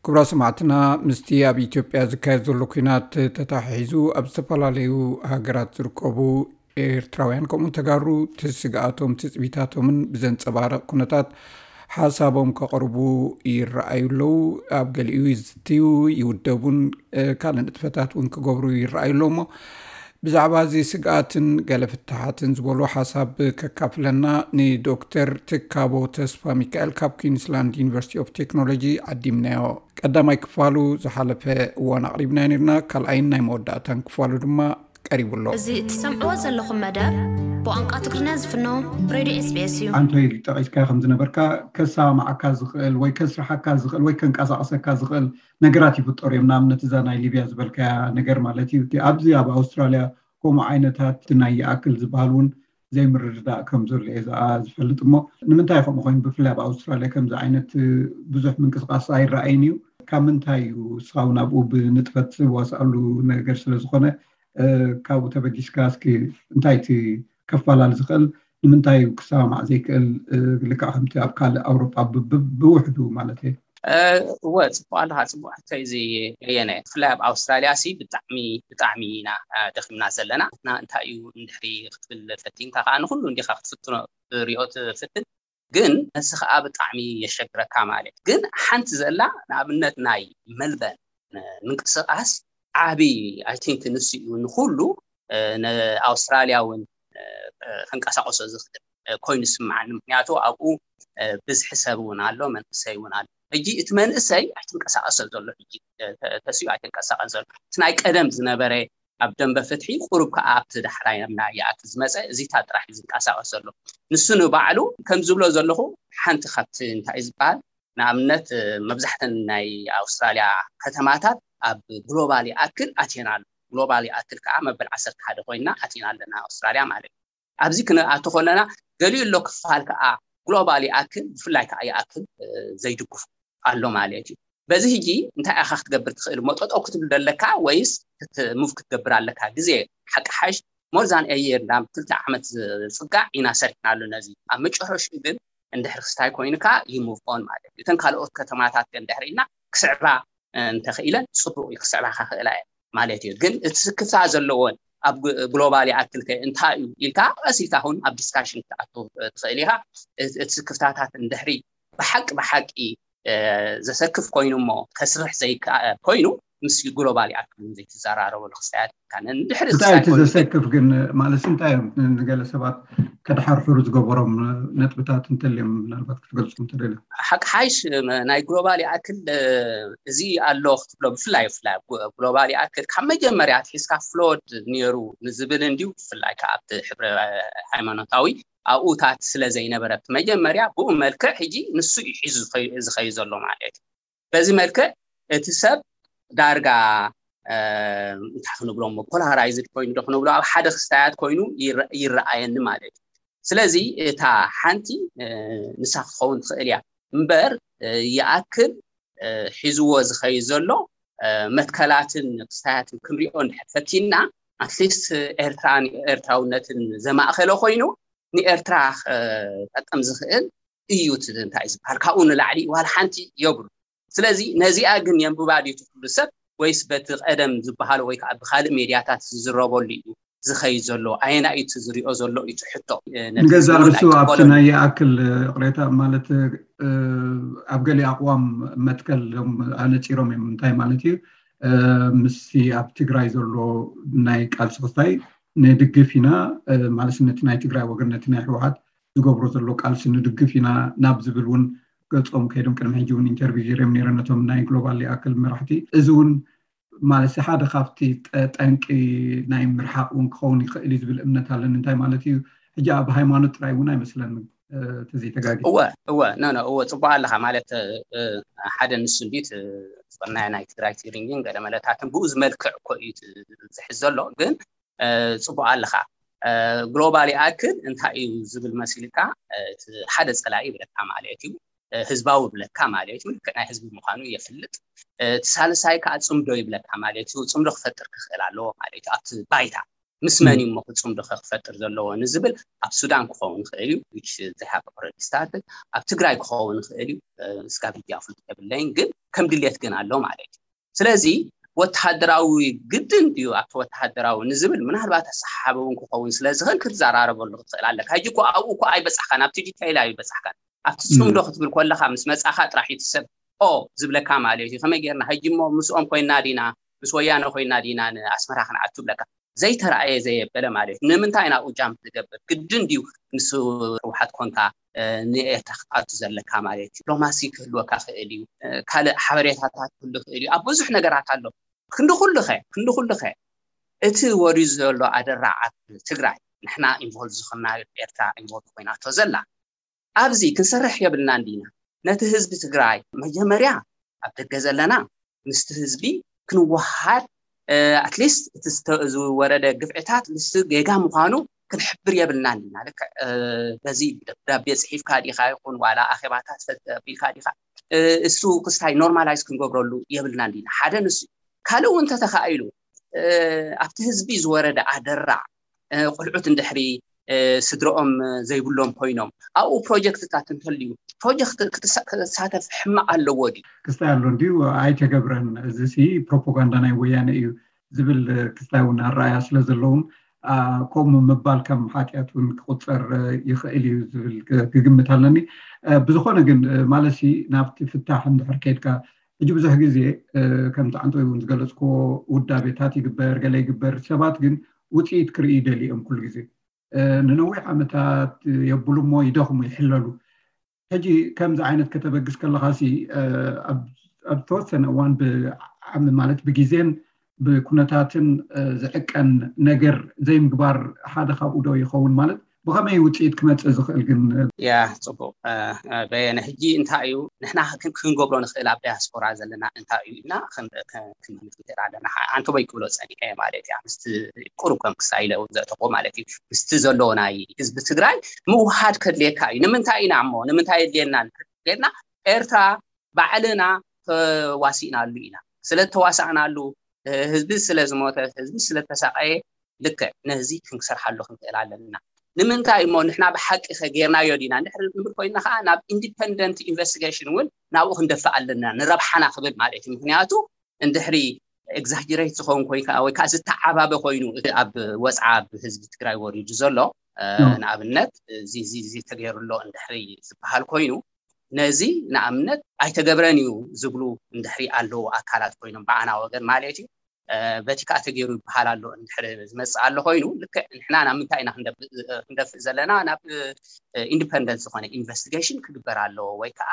ክቡራ ሰማዕትና፣ ምስቲ ኣብ ኢትዮጵያ ዝካየድ ዘሎ ኲናት ተታሒዙ ኣብ ዝተፈላለዩ ሃገራት ዝርከቡ ኤርትራውያን ከምኡን ተጋሩ ትስግኣቶም ትጽቢታቶምን ብዘንጸባረቕ ኩነታት ሓሳቦም ከቕርቡ ይረኣዩ ኣለዉ። ኣብ ገሊኡ ይዝትዩ፣ ይውደቡን ካልእ ንጥፈታት እውን ክገብሩ ይረኣዩ ኣለዉ። እሞ ብዛዕባ እዚ ስግኣትን ገለ ፍትሓትን ዝበሉ ሓሳብ ከካፍለና ንዶክተር ትካቦ ተስፋ ሚካኤል ካብ ኩንስላንድ ዩኒቨርሲቲ ኦፍ ቴክኖሎጂ ዓዲምናዮ። ቀዳማይ ክፋሉ ዝሓለፈ እዋን ኣቕሪብናዮ ነርና። ካልኣይን ናይ መወዳእታን ክፋሉ ድማ ቀሪቡ ኣሎ። እዚ እትሰምዕዎ ዘለኹም መደብ ብቋንቋ ትግርኛ ዝፍኖ ሬድዮ SBS እዩ። ኣንቶይ ጠቒስካ ከም ዝነበርካ ከሰማማዓካ ዝኽእል ወይ ከስርሓካ ዝኽእል ወይ ከንቀሳቐሰካ ዝኽእል ነገራት ይፍጠሩ እዮም። ንኣብነት እዛ ናይ ሊብያ ዝበልካያ ነገር ማለት እዩ። ኣብዚ ኣብ ኣውስትራልያ ከምኡ ዓይነታት ናይ ይኣክል ዝበሃል እውን ዘይምርድዳእ ከም ዘሎ እየ ዝኣ-፣ ዝፈልጥ። እሞ ንምንታይ ከምኡ ኮይኑ? ብፍላይ ኣብ ኣውስትራልያ ከምዚ ዓይነት ብዙሕ ምንቅስቃስ ኣይረኣይን እዩ። ካብ ምንታይ እዩ? ንስኻ እውን ኣብኡ ብንጥፈት ትዋስኣሉ ነገር ስለ ዝኾነ፣ እ፣ ካብኡ ተበጊስካ እስኪ እንታይ እቲ ከፋላል ዝኽእል? ንምንታይ እዩ ክሰማማዕ ዘይክእል? እ፣ ልክዕ ከምቲ ኣብ ካልእ ኣውሮጳ ብ-፣ ብ-፣ ብውሕዱ ማለት እየ። እ፣ እወ፣ ጽቡቕ ኣለኻ፣ ጽቡቕ ሕቶ እዩ እዚ በየነ። ብፍላይ ኣብ ኣውስትራልያ ሲ ብጣዕሚ፣ ብጣዕሚ ኢና፣ እ፣ ደኺምና ዘለና። እና እንታይ እዩ እንድሕሪ ክትብል ፈቲንካ ከኣ ንኹሉ እንዲኻ ክትፍትኖ፣ ክትሪኦ ትፍትን፣ ግን ነሲ ከኣ ብጣዕሚ የሸግረካ ማለት። ግን ሓንቲ ዘላ፣ ንኣብነት ናይ መልበርን፣ እ፣ ምንቅስቓስ ዓቢ፣ I think፣ ንሱ እዩ ንኹሉ፣ እ፣ ንኣውስትራልያ እውን፣ እ፣ እ፣ ከንቀሳቕሶ ዝኽእል፣ እ፣ ኮይኑ ዝስምዓኒ። ምኽንያቱ ኣብኡ፣ እ፣ ብዝሒ ሰብ እውን ኣሎ፣ መንእሰይ እውን ኣሎ። ሕጂ እቲ መንእሰይ ኣይተንቀሳቐሰ ዘሎ፣ ሕጂ፣ እ፣ ተ-፣ ተሲኡ ኣይተንቀሳቐስ ዘሎ። እቲ ናይ ቀደም ዝነበረ ኣብ ደንበ ፍትሒ ቁሩብ ከኣ ኣብቲ ዳሕራይ ናብና ይኣክል ዝመጸ፣ እዚታት ጥራሕ እዩ ዝንቀሳቐስ ዘሎ። ንሱ ንባዕሉ ከም ዝብሎ ዘለኹ ሓንቲ ካብቲ እንታይ ዝበሃል ንኣብነት፣ እ፣ መብዛሕተን ናይ ኣውስትራልያ ከተማታት ኣብ ግሎባል ይኣክል ኣትየን ኣሎ። ግሎባል ይኣክል ከኣ መበል ዓሰርተ ሓደ ኮይና ኣቲና ኣለና ኣውስትራልያ ማለት እዩ። ኣብዚ ክንኣቱ ከለና ገሊኡ ኣሎ ክፋል ከኣ ግሎባል ይኣክል፣ ብፍላይ ከኣ ይኣክል፣ እ፣ ዘይድግፉ ኣሎ ማለት እዩ። በዚ ሕጂ እንታይ ኢኻ ክትገብር ትኽእል? እሞ ጠጠው ክትብል ኣለካ ወይስ ክት-፣ ሙቭ ክትገብር ኣለካ? ግዜ ሓቂ ሓሽ ሞር ዛን ኤ የር ናብ ክልተ ዓመት ዝጽጋዕ ኢና ሰሪሕናሉ ነዚ። ኣብ መጨረሽኡ ግን እንድሕሪ ክስታይ ኮይንካ you move on ማለት እዩ። እተን ካልኦት ከተማታት ግን ድሕሪ ኢልና ክስዕባ እንተኽኢለን ጽቡቕ እዩ፣ ክስዕባ ክኽእላ እየን ማለት እዩ። ግን እቲ ስክፍታ ዘለዎን ኣብ ግ-፣ ግሎባል ይኣክል ከ እንታይ እዩ ኢልካ ቀስ ኢልካ እውን ኣብ ዲስካሽን ክትኣቱ ትኽእል ኢኻ። እቲ፣ እቲ ስክፍታታት እንድሕሪ ብሓቂ፣ ብሓቂ፣ እ፣ ዘሰክፍ ኮይኑ እሞ ከስርሕ ዘይከኣል ኮይኑ ምስ ግሎባል ይኣክል እውን ዘይትዘራረበሉ ክስታያት ኢልካ እንድሕሪ እንታይ እቲ ክስታይ ኮይኑ ዘሰክፍ ግን ማለት እንታይ እዮም? ንገለ ሰባት ከድሓርሕሩ ዝገበሮም ነጥብታት እንተልዮም ምናልባት ክትገልጾም ትደልዩ? ሓቂ ሓይሽ፣ ም-፣ ናይ ግሎባል ይኣክል፣ እ፣ እዚ ኣሎ ክትብሎ ብፍላይ፣ ብፍላይ ኣብ ግሎ-፣ ግሎባል ይኣክል ካብ መጀመርያ ኣትሒዝካ ፍሎድ ነይሩ ንዝብል እንድዩ፣ ብፍላይ ከኣ ኣብቲ ሕብረ ሃይማኖታዊ ኣብኡታት ስለ ዘይነበረ ኣብቲ መጀመርያ ብኡ መልክዕ ሕጂ ንሱ እዩ ሒዙ ዝኸይ-፣ ዝኸይድ ዘሎ ማለት እዩ። በዚ መልክዕ እቲ ሰብ ዳርጋ፣ እ፣ እንታይ ክንብሎ እሞ፣ ፖላራይዝድ ኮይኑ ዶ ክንብሎ፣ ኣብ ሓደ ክስታያት ኮይኑ ይረ-፣ ይረኣየኒ ማለት እዩ። ስለዚ እታ ሓንቲ፣ እ፣ ንሳ ክትኸውን ትኽእል እያ እምበር፣ እ፣ ይኣክል፣ እ፣ ሒዝዎ ዝኸይድ ዘሎ፣ እ፣ መትከላትን ክስታያትን ክንሪኦ እንድሕር ፈቲና፣ ኣትሊስት ኤርትራን ኤርትራውነትን ዘማእኸለ ኮይኑ ንኤርትራ ክጠቅም ዝኽእል እዩ። እቲ እንታይ ዝበሃል ካብኡ ንላዕሊ ዋላ ሓንቲ የብሉ። ስለዚ ነዚኣ ግን የንብባ ድዩ እቲ ኩሉ ሰብ ወይስ በቲ ቀደም ዝበሃሉ ወይ ከዓ ብካልእ ሜድያታት ዝዝረበሉ እዩ ዝኸይድ ዘሎ? ኣየናይ እዩ እቲ ዝሪኦ ዘሎ እዩ እቲ ሕቶ። እ፣ ነቲ ንገዛእ ህዝቡ ርእሱ ናይ ኣብቲ ቅበሎ ናይ ይኣክል ቅሬታ ማለት፣ እ፣ ኣብ ገሊእ ኣቕዋም መትከል እዮም ኣነጺሮም እዮም። እንታይ ማለት እዩ? እ፣ ምስቲ ኣብ ትግራይ ዘሎ ናይ ቃልሲ ክስታይ ንድግፍ ኢና፣ እ፣ ማለት ነቲ ናይ ትግራይ ወገን ነቲ ናይ ህወሓት ዝገብሮ ዘሎ ቃልሲ ንድግፍ ኢና ናብ ዝብል እውን ገጾም ከይዶም ቅድሚ ሕጂ እውን ኢንተርቪው ገይሮም ነይሮም ነቶም ናይ ግሎባል ይኣክል መራሕቲ። እዚ እውን ማለት ሓደ ካብቲ ጠ-፣ ጠንቂ ናይ ምርሓቕ እውን ክኸውን ይኽእል እዩ ዝብል እምነት ኣለኒ። እንታይ ማለት እዩ? ሕጂ ኣብ ሃይማኖት ጥራይ እውን ኣይመስለንን፣ እ፣ ተዘይተጋጊ። እወ፣ እወ፣ ኖ፣ ኖ፣ እወ፣ ጽቡቕ ኣለኻ። ማለት፣ እ፣ ሓደ ንሱ እንዲት፣ እ፣ ናይ፣ ናይ ትግራይ ትግርኝን ገለ መለታትን ብኡ ዝመልክዕ እኮ እዩ ት-፣ ዝሕዝ ዘሎ። ግን፣ እ፣ ጽቡቕ ኣለኻ። እ፣ ግሎባል ይኣክል እንታይ እዩ ዝብል መሲልካ፣ እ፣ እቲ ሓደ ጸላኢ ይብለካ ማለት እዩ። እ፣ ህዝባዊ ይብለካ ማለት እዩ። ልክዕ ናይ ህዝቢ ምዃኑ የፍልጥ። እ፣ እቲ ሳልሳይ ከኣ ጽምዶ ይብለካ ማለት እዩ። ጽምዶ ክፈጥር ክኽእል ኣለዎ ማለት እዩ። ኣብቲ ባይታ ምስ መን እዩ እሞ ክፅምዶ ክፈጥር ዘለዎ ንዝብል ኣብ ሱዳን ክኸውን ይኽእል እዩ። Which they have already started። ኣብ ትግራይ ክኸውን ይኽእል እዩ። ስጋብ ሕጂ ኣፍልጦ የብለይን፣ ግን ከም ድሌት ግን ኣሎ ማለት እዩ። ስለዚ ወተሃደራዊ ግድን ድዩ ኣብቲ ወተሃደራዊ ንዝብል ምናልባት ኣሰሓሓቢ እውን ክኸውን ስለ ዝኽእል ክትዘራረበሉ ክትኽእል ኣለካ። ሕጂ እኮ ኣብኡ እኮ ኣይበፃሕካን፣ ኣብቲ ዲቴይል ኣይበፃሕካን። ኣብቲ ፅምዶ ክትብል ከለካ ምስ መፃኻ ጥራሕ እቲ ሰብ ኦ ዝብለካ ማለት እዩ። ከመይ ጌርና ሕጂ እሞ ምስኦም ኮይና ዲና ምስ ወያነ ኮይና ዲና ንኣስመራ ክንኣቱ ብለካ ዘይተረኣየ ዘየበለ ማለት እዩ። ንምንታይ ናብኡ ጃምፕ ትገብር? ግድን ድዩ ምስ ህወሓት ኮንካ ንኤርትራ ክትኣቱ ዘለካ ማለት እዩ? ዲፕሎማሲ ክህልወካ ክእል እዩ፣ ካልእ ሓበሬታታት ክህሉ ክእል እዩ። ኣብ ብዙሕ ነገራት ኣሎ። ክንዲ ኩሉኸ ክንዲ ኩሉኸ እቲ ወርዩ ዘሎ ኣደራዕ ኣብ ትግራይ ንሕና ኢንቮልቭ ዝኾንና ኤርትራ ኢንቮልቭ ኮይናቶ ዘላ ኣብዚ ክንሰርሕ የብልናን ዲና? ነቲ ህዝቢ ትግራይ መጀመርያ ኣብ ደገ ዘለና ምስቲ ህዝቢ ክንወሃድ ኣትሊስት እቲ ዝተ- ዝወረደ ግፍዕታት ምስቲ ጌጋ ምዃኑ ክንሕብር የብልናን ዲና? ልክዕ በዚ ደብዳቤ ፅሒፍካ ዲኻ ይኹን ዋላ ኣኼባታት ፈቢልካ ዲኻ እሱ ክስታይ ኖርማላይዝ ክንገብረሉ የብልናን ዲና? ሓደ ንሱ ካልእ እውን እንተተኻኢሉ ኣብቲ ህዝቢ ዝወረደ ኣደራዕ ቆልዑት እንድሕሪ ስድረኦም ዘይብሎም ኮይኖም ኣብኡ ፕሮጀክትታት እንተልዩ ፕሮጀክት ክትሳተፍ ሕማቕ ኣለዎ ድዩ? ክስታይ ኣሎ እንድዩ ኣይተገብረን፣ እዚ ሲ ፕሮፓጋንዳ ናይ ወያነ እዩ ዝብል ክስታይ እውን ኣረኣያ ስለ ዘለዎም ከምኡ ምባል ከም ሓጢኣት እውን ክቁፀር ይኽእል እዩ ዝብል ክግምት ኣለኒ። ብዝኾነ ግን ማለት ሲ ናብቲ ፍታሕ እንድሕር ከይድካ ሕጂ ብዙሕ ግዜ ከምቲ ዓንቶ እውን ዝገለፅክዎ ውዳቤታት ይግበር ገለ ይግበር፣ ሰባት ግን ውፅኢት ክርኢ ይደልዮም ኩሉ ግዜ ንነዊሕ ዓመታት የብሉ እሞ ይደኽሙ ይሕለሉ። ሕጂ ከምዚ ዓይነት ከተበግስ ከለኻ ሲ ኣብ ተወሰነ እዋን ብዓሚ ማለት ብግዜን ብኩነታትን ዝዕቀን ነገር ዘይምግባር ሓደ ካብኡ ዶ ይኸውን? ማለት ብኸመይ ውፅኢት ክመፅእ ዝኽእል ግን? ያ ጽቡቕ በየነ፣ ሕጂ እንታይ እዩ ንሕና ክንገብሮ ንኽእል ኣብ ዳያስፖራ ዘለና እንታይ እዩ ኢልና ክንምልክት ኣለና። ኣንተቦይ ክብሎ ጸኒሐ ማለት እያ ምስቲ ቁሩብ ከም ክሳይለ እውን ዘእተኹ ማለት እዩ ምስቲ ዘሎ ናይ ህዝቢ ትግራይ ምውሃድ ከድልየካ እዩ። ንምንታይ ኢና እሞ ንምንታይ የድልየና ልና ኤርትራ ባዕልና ተዋሲእናሉ ኢና። ስለ ተዋሳእናሉ ህዝቢ ስለ ዝሞተ ህዝቢ ስለ ተሳቀየ ልክዕ ነዚ ክንሰርሓሉ ክንክእል ኣለና። ንምንታይ እሞ ንሕና ብሓቂ ከ ጌርናዮ ዲና እንድሕር ንብል ኮይና ከዓ ናብ ኢንዲፐንደንት ኢንቨስቲጌሽን እውን ናብኡ ክንደፍእ ኣለና ንረብሓና ክብል ማለት እዩ። ምክንያቱ እንድሕሪ ኤግዛጀሬት ዝኸውን ኮይካ ወይ ከዓ ዝተዓባበ ኮይኑ እቲ ኣብ ወፅዓ ብህዝቢ ትግራይ ወሪዱ ዘሎ ንኣብነት እዚ ተገይሩ ኣሎ እንድሕሪ ዝበሃል ኮይኑ ነዚ ንኣብነት ኣይተገብረን እዩ ዝብሉ እንድሕሪ ኣለዉ ኣካላት ኮይኖም ብዓና ወገን ማለት እዩ በቲ ከዓ ተገይሩ ይበሃል ኣሎ እንድሕር ዝመፅእ ኣሎ ኮይኑ ልክዕ ንሕና ናብ ምንታይ ኢና ክንደፍእ ዘለና ናብ ኢንዲፐንደንት ዝኾነ ኢንቨስቲጌሽን ክግበር ኣለዎ ወይ ከዓ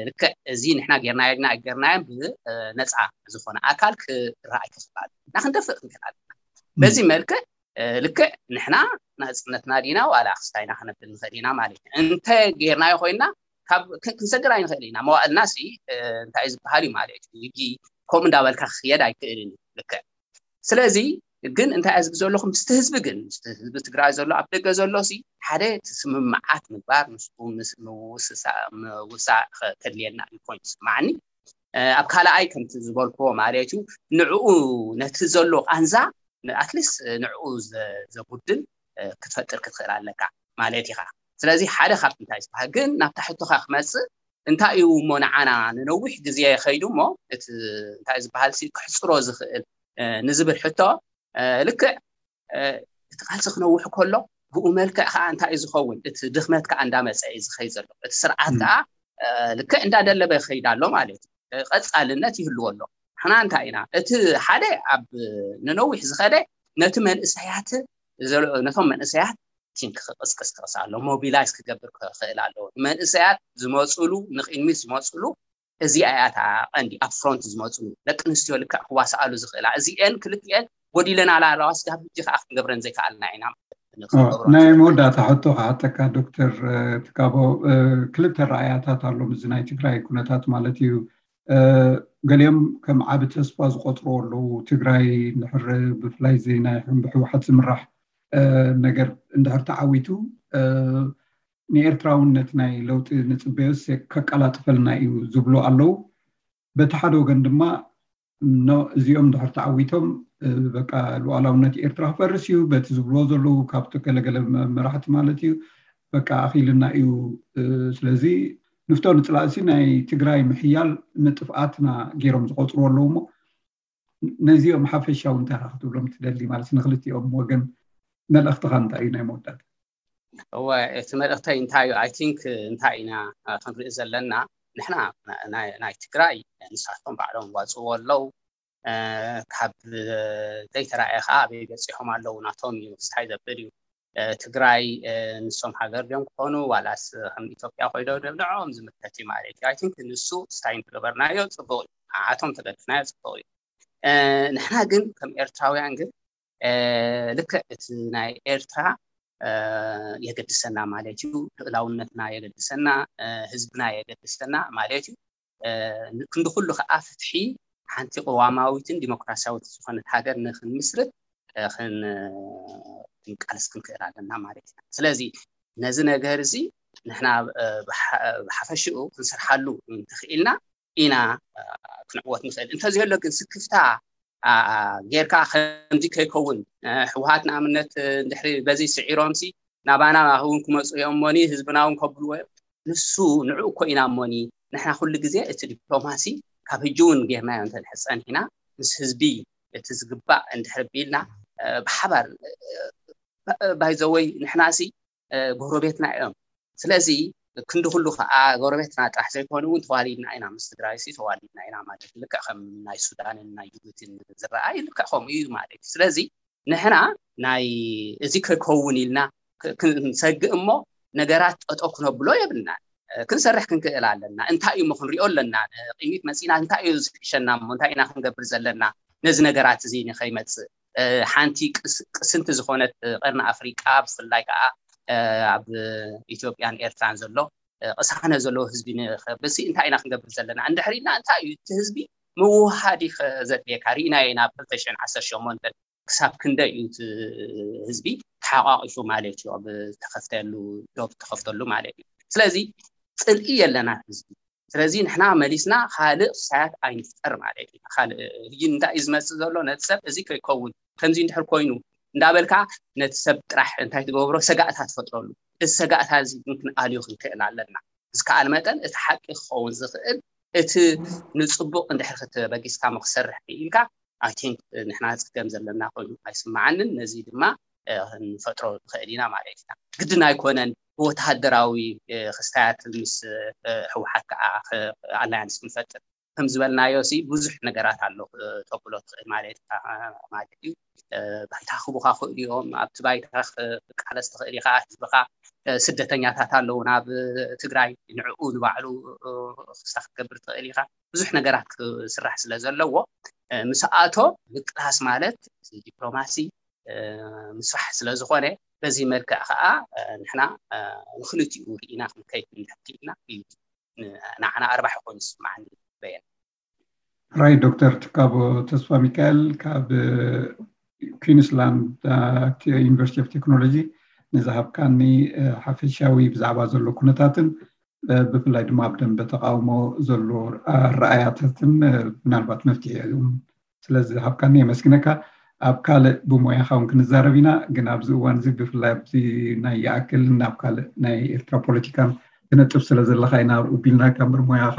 ልክዕ እዚ ንሕና ጌርናዮ ና ጌርናዮም ብነፃ ዝኾነ ኣካል ክረኣይ ክኽእል ኣሎ እና ክንደፍእ ክንክእል ኣለና በዚ መልክዕ ልክዕ ንሕና ናፅነትና ዲና ዋላ ክስታይና ክነብል ንኽእል ኢና ማለት እዩ እንተ ጌርናዮ ኮይና ካብ ክንሰግር ኣይንኽእል ኢና መዋእልና ሲ እንታይ ዝበሃል እዩ ማለት እዩ ሕጂ ከምኡ እንዳበልካ ክኽየድ ኣይክእልን እዩ ልክዕ ስለዚ ግን እንታይ ዝብ ዘለኹ ምስቲ ህዝቢ ግን ምስቲ ህዝቢ ትግራይ ዘሎ ኣብ ደገ ዘሎ ሲ ሓደ ስምምዓት ምግባር ምስ ምውሳእ ከድልየና እዩ ኮይኑ ዝስማዓኒ ኣብ ካልኣይ ከምቲ ዝበልክዎ ማለት እዩ ንዕኡ ነቲ ዘሎ ቃንዛ ኣትሊስት ንዕኡ ዘጉድል ክትፈጥር ክትኽእል ኣለካ ማለት ኢኻ ስለዚ ሓደ ካብቲ እንታይ ዝበሃል ግን ናብ ታሕቶኻ ክመፅእ እንታይ እዩ እሞ ንዓና ንነዊሕ ግዜ ከይዱ እሞ እቲ እንታይ ዝበሃል ክሕፅሮ ዝኽእል ንዝብል ሕቶ ልክዕ እቲ ቃልሲ ክነውሕ ከሎ ብኡ መልክዕ ከዓ እንታይ እዩ ዝኸውን እቲ ድኽመት ከዓ እንዳመፀ እዩ ዝኸይ ዘሎ እቲ ስርዓት ከዓ ልክዕ እንዳደለበ ይኸይድ ኣሎ ማለት እዩ ቀፃልነት ይህልዎ ኣሎ ንሕና እንታይ ኢና እቲ ሓደ ኣብ ንነዊሕ ዝኸደ ነቲ መንእሰያት ነቶም መንእሰያት ቲንክ ክቅስቅስ ክቅስ ኣሎ ሞቢላይዝ ክገብር ክኽእል ኣለዎ ንመንእሰያት ዝመፅሉ ንቅድሚት ዝመፅሉ እዚኣ እያ እታ ቀንዲ ኣብ ፍሮንት ዝመፅሉ ደቂ ኣንስትዮ ልክዕ ክዋስኣሉ ዝኽእላ እዚኤን ክልቲኤን ጎዲለን ኣለዋ ስጋብ ሕጂ ከዓ ክንገብረን ዘይከኣልና ኢና ናይ መወዳእታ ሕቶ ክሓተካ ዶክተር ትካቦ ክልተ ረኣያታት ኣሎ እዚ ናይ ትግራይ ኩነታት ማለት እዩ ገሊኦም ከም ዓቢ ተስፋ ዝቆፅርዎ ኣለዉ ትግራይ እንድሕር ብፍላይ እዚ ናይ ብህወሓት ዝምራሕ ነገር እንድሕር ተዓዊቱ ንኤርትራ እውን ነቲ ናይ ለውጢ ንፅበዮስ ከቀላጥፈልና እዩ ዝብሉ ኣለዉ በቲ ሓደ ወገን ድማ እዚኦም ድሕር ተዓዊቶም በቃ ሉዓላውነት ኤርትራ ክፈርስ እዩ በቲ ዝብልዎ ዘለዉ ካብቲ ገለገለ መራሕቲ ማለት እዩ። በቃ ኣኺልና እዩ። ስለዚ ንፍቶ ንፅላእሲ ናይ ትግራይ ምሕያል ምጥፍኣትና ገይሮም ዝቆፅሩ ኣለዉ እሞ ነዚኦም ሓፈሻዊ እንታይ ክትብሎም ትደሊ ማለት ንክልቲኦም ወገን መልእኽትኻ እንታይ እዩ ናይ መወዳእታ? እወ እቲ መልእኽተይ እንታይ እዩ? I think እንታይ ኢና ክንርኢ ዘለና ንሕና ናይ ትግራይ ንሳቶም ባዕሎም ዋፅዎ ኣለዉ። ካብ ዘይተራእየ ከዓ ኣበይ በፂሖም ኣለዉ ናቶም እዩ ክስታይ ዘብል እዩ። ትግራይ ንሶም ሃገር ድዮም ክኾኑ ዋላስ ከም ኢትዮጵያ ኮይዶ ንዕኦም ዝምልከት እዩ ማለት እዩ። I think ንሱ ስታይ እንተገበርናዮ ፅቡቅ እዩ። ንዓቶም ተገድፍናዮ ፅቡቅ እዩ። ንሕና ግን ከም ኤርትራውያን ግን ልክዕ እቲ ናይ ኤርትራ የገድሰና ማለት እዩ። ልእላውነትና የገድሰና፣ ህዝብና የገድሰና ማለት እዩ። ክንዲ ኩሉ ከዓ ፍትሒ ሓንቲ ቅዋማዊትን ዲሞክራሲያዊት ዝኾነት ሃገር ንክንምስርት ክንቃለስ ክንክእል ኣለና ማለት ኢና። ስለዚ ነዚ ነገር እዚ ንሕና ብሓፈሽኡ ክንሰርሓሉ እንተኽኢልና ኢና ክንዕወት ንኽእል። እንተዘየሎ ግን ስክፍታ ጌርካ ከምዚ ከይከውን ህወሓት ንኣብነት እንድሕሪ በዚ ስዒሮምሲ ናባና እውን ክመፁ እዮም እሞኒ ህዝብና እውን ከብልዎ እዮም። ንሱ ንዕኡ እኮ ኢና እሞኒ ንሕና ኩሉ ግዜ እቲ ዲፕሎማሲ ካብ ህጂ እውን ጌርናዮ እንተድሕር ፀኒሕና ምስ ህዝቢ እቲ ዝግባእ እንድሕር ቢልና ብሓባር ባይዘወይ ንሕናሲ ጎረቤትና እዮም። ስለዚ ክንዲ ኩሉ ከዓ ጎረቤትና ጥራሕ ዘይኮኑ እውን ተዋሊድና ኢና ምስ ትግራይ ሲ ተዋሊድና ኢና ማለት ልክዕ ከም ናይ ሱዳንን ናይ ጅቡቲን ዝረኣይ ልክዕ ከምኡ እዩ ማለት እዩ። ስለዚ ንሕና ናይ እዚ ከይከውን ኢልና ክንሰግእ እሞ ነገራት ጠጠው ክነብሎ የብልና። ክንሰርሕ ክንክእል ኣለና። እንታይ እዩ ክንሪኦ ኣለና። ቅሚት መፂና እንታይ እዩ ዝሕሸና እሞ እንታይ ኢና ክንገብር ዘለና ነዚ ነገራት እዚ ንኸይመፅእ ሓንቲ ቅስንቲ ዝኾነት ቀርኒ ኣፍሪቃ ብፍላይ ከዓ ኣብ ኢትዮጵያን ኤርትራን ዘሎ ቅሳነ ዘለዎ ህዝቢ ንኸብሲ እንታይ ኢና ክንገብር ዘለና እንድሕር ኢልና እንታይ እዩ እቲ ህዝቢ ምውሃድ እዩ ዘድልየካ ርኢናዮ ኢና ብ ክልተ ሽሕን ዓሰርተ ሸሞንተን ክሳብ ክንደይ እዩ እቲ ህዝቢ ተሓቋቂፉ ማለት እዩ ኣብ ተኸፍተሉ ዶብ ተኸፍተሉ ማለት እዩ። ስለዚ ፅልኢ የለና ህዝቢ ስለዚ ንሕና መሊስና ካልእ ክሳያት ኣይንፍጠር ማለት እዩ። ካልእ ህጂ እንታይ እዩ ዝመፅእ ዘሎ ነቲ ሰብ እዚ ከይከውን ከምዚ እንድሕር ኮይኑ እንዳበልካ ነቲ ሰብ ጥራሕ እንታይ ትገብሮ ሰጋእታ ትፈጥረሉ። እዚ ሰጋእታ እዚ ግን ክንኣልዮ ክንክእል ኣለና። ዝከኣል መጠን እቲ ሓቂ ክኸውን ዝኽእል እቲ ንፅቡቅ እንድሕር ክትበጊስካ ክሰርሕ ክኢልካ I think ንሕና ፀገም ዘለና ኮይኑ ኣይስምዓንን። ነዚ ድማ ክንፈጥሮ ንኽእል ኢና ማለት ኢና። ግድን ኣይኮነን ብወተሃደራዊ ክስታያት ምስ ህወሓት ከዓ ኣላያንስ ክንፈጥር ከም ዝበልናዮ ሲ ብዙሕ ነገራት ኣሎ ተብሎ ትኽእል ማለት ማለት እዩ። ባይታ ክቡካ ክእል እዮም ኣብቲ ባይታ ክቃለስ ትኽእል ኢኻ ህዝብኻ ስደተኛታት ኣለዉ ናብ ትግራይ ንዕኡ ንባዕሉ ክስታ ክትገብር ትኽእል ኢኻ ብዙሕ ነገራት ክስራሕ ስለ ዘለዎ ምስኣቶ ምቅላስ ማለት ዲፕሎማሲ ምስራሕ ስለ ዝኾነ በዚ መልክዕ ከዓ ንሕና ንክልቲኡ ርኢና ክንከይድ ክንድሕር ክኢልና እዩ ንዓና ኣርባሒ ኮይኑ ዝስምዓኒ በየን። ሕራይ ዶክተር ትካቦ ተስፋሚካኤል ካብ ኩንስላንድ ዩኒቨርሲቲ ኦፍ ቴክኖሎጂ ንዝሃብካኒ ሓፈሻዊ ብዛዕባ ዘሎ ኩነታትን ብፍላይ ድማ ኣብ ደንበ ተቃውሞ ዘሎ ኣረኣያታትን ምናልባት መፍትሒ እዮም ስለዝሃብካኒ የመስግነካ። ኣብ ካልእ ብሞያኻ እውን ክንዛረብ ኢና፣ ግን ኣብዚ እዋን እዚ ብፍላይ ኣብዚ ናይ ይኣክል ናብ ካልእ ናይ ኤርትራ ፖለቲካን ትነጥፍ ስለ ዘለኻ ኢና ኣብኡ ቢልናካ እምበር ሞያኻ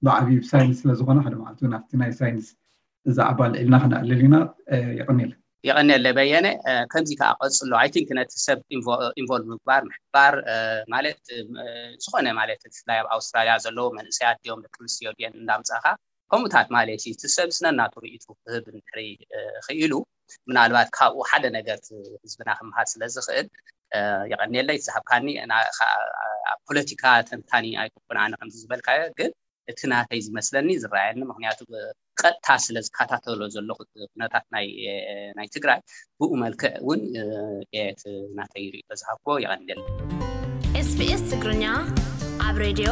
ብዓብዩ ብሳይንስ ስለ ዝኾነ ሓደ መዓልቲ እውን ኣብቲ ናይ ሳይንስ ዛዕባ ኣልዒልና ክነዕልል ኢና። የቐንየለይ። የቐንየለይ በየነ። ከምዚ ከዓ ቀፅሎ። I think ነቲ ሰብ ኢንቮልቭ ምግባር ምሕባር ማለት ዝኾነ ማለት ብፍላይ ኣብ ኣውስትራልያ ዘለዉ መንእሰያት ድዮም ደቂ ኣንስትዮ ድየን እንዳምፃእካ ከምኡታት ማለት እዩ እቲ ሰብ ስነናቱ ርእይቱ ክህብ እንድሕሪ ክኢሉ ምናልባት ካብኡ ሓደ ነገር ህዝብና ክምሃር ስለ ዝኽእል የቐንየለይ ዝሃብካኒ ፖለቲካ ተንታኒ ኣይኮንኩን ኣነ ከምዚ ዝበልካዮ ግን እቲ ናተይ ዝመስለኒ ዝረኣየኒ ምክንያቱ ቀጥታ ስለ ዝከታተሎ ዘለኹ ኩነታት ናይ ትግራይ ብኡ መልክዕ እውን እቲ ናተይ ርእቶ ዝሃብክዎ የቐንየለይ። SBS ትግርኛ ኣብ ሬድዮ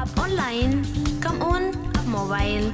ኣብ ኦንላይን ከምኡውን ኣብ ሞባይል